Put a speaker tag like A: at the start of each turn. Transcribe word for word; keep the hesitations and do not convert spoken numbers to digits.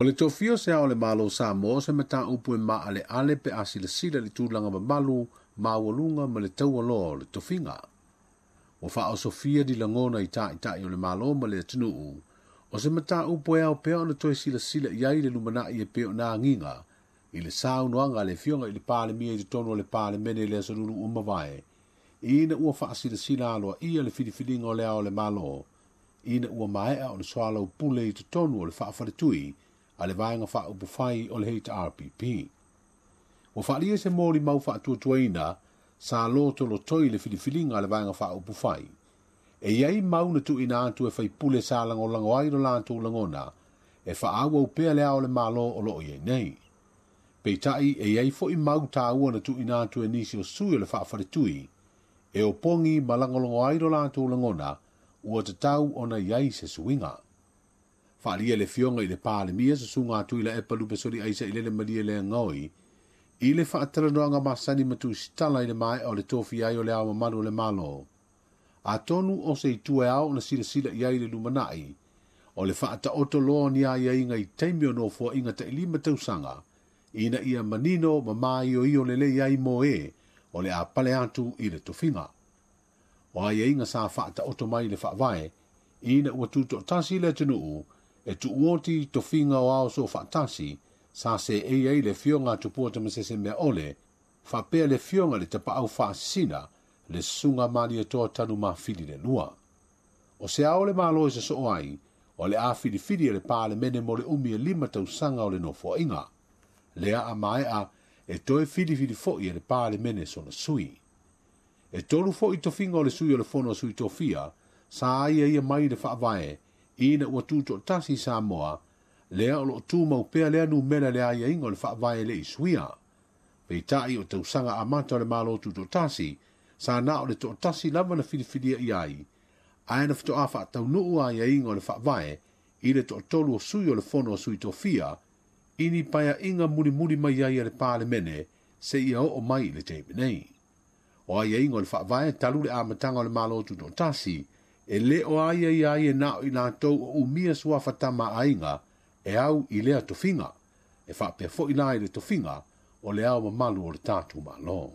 A: O le tofia o se ao o le Malo o Samoa o se mataupu e maaleale pe a silasila i le tulaga mamalu, maualuga ma le taualoa o le tofiga. Ua faaosofia ni lagona i taitai o le Malo ma le atunuu, o se mataupu e ao pea ona toe silasila i ai le lumanai e pei ona agiga i le saunoaga a le Afioga i le Palemia i totonu o le Palemene i le aso Lulu ua mavae, ina ua faasilasila aloaia le filifiliga o le ao o le Malo, ina ua maea ona soalaupule i totonu o le faafaletui a le Vaega Faaupufai o le H R P P. Ua faaalia se molimau faatuatuaina sa lotolotoi le filifiliga a le Vaega Faaupufai. E iai mau na tuuina atu e faipule sa lagolago ai lo latou lagona e faaauau pea le ao o le Malo o loo iai nei. Peitai e iai foi mau taua na tuuina atu e nisi o sui o le faafaletui e opogi ma lagolago ai lo latou lagona ua tatau ona iai se suiga. Faaalia le Afioga i le Palemia susuga atu i la epa lupe soli aisa i lele malie le ngoi i le faatalanoaga masani ma tusitala i le maea o le tofi ai o le ao mamalu o le Malo. Atonu o se itu e ao ona silasila i ai le lumanai o le faataoto loa ni aiaiga i taimi o nofoaiga tailima tausaga ina ia manino ma maioio lelei ai mo e o le a pale atu i le tofiga. O aiaiga sa faataoto mai le faavae ina ua tutoatasi le atunuu e tuuoti tofiga o ao so faatasi sa se e ai le Afioga a Tupua Tamasese Meaole faapea le Afioga i le Tapaau Faasisina le susuga Malietoa Tanumafili le lua. O se ao le Malo e sosoo ai o le a filifili e le Palemene mo le umi e lima tausaga o le nofoaiga. Lea a maea e toe filifili foi e le Palemene sona sui. E tolu foi tofiga o le sui o le fono a sui tofia sa ia ia mai le faavae ina ua tutoatasi Samoa lea o loo tumau pea lea numera le aiaiga o le faavae le isuia. Peitai o tausaga amata o le Malo tutoatasi sa na o le toatasi lava na filifilia i ai, ae na faatoa faataunuu aiaiga o le faavae i le toatolu o sui o le fono a sui tofia i ni paeaiga mulimuli mai ai a le Palemene seia oo mai i le taimi nei. O aiaiga o le faavae talu le amataga o le Malo tutoatasi e le o aia ia ai e nao i latou o umia suafa tama aiga e au i lea tofiga, e faapea foi la i le tofiga o le ao mamalu o le tatou Malo.